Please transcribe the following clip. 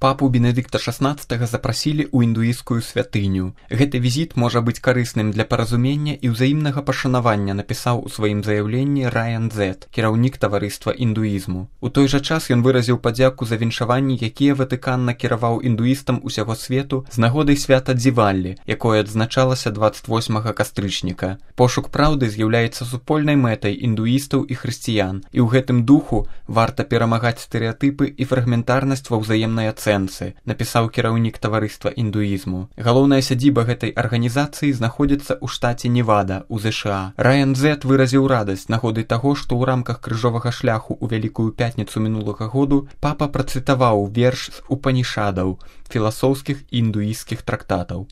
Папу Бенедыкта XVI запрасілі ў індуісцкую святыню. Гэты візіт можа быць карысным для паразумення і ўзаемнага пашанавання, напісаў у сваім заяўленні Райан Зет, кіраўнік таварыства індуізму. У той жа час ён выразіў падзяку за віншаванні, якія Ватыкан накіраваў індуістам усяго свету з нагодай свята Дзіваллі, якое адзначалася 28 кастрычніка. Пошук праўды з'яўляецца супольнай мэтай індуістаў і хрысціян, і ў гэтым духу варта перамагаць стэрэатыпы і фрагментарнасць ва ўзаемнай ацэнцы, напісаў кіраўнік таварыства індуізму. Галоўная сядзіба гэтай арганізацыі знаходзіцца ў штаце Невада, у ЗША. Райан Зет выразіў радасць нагоды таго, што ў рамках крыжовага шляху ў Вялікую пятніцу мінулага году папа працытаваў верш з Упанішадаў, філасофскіх індуісцкіх трактатаў.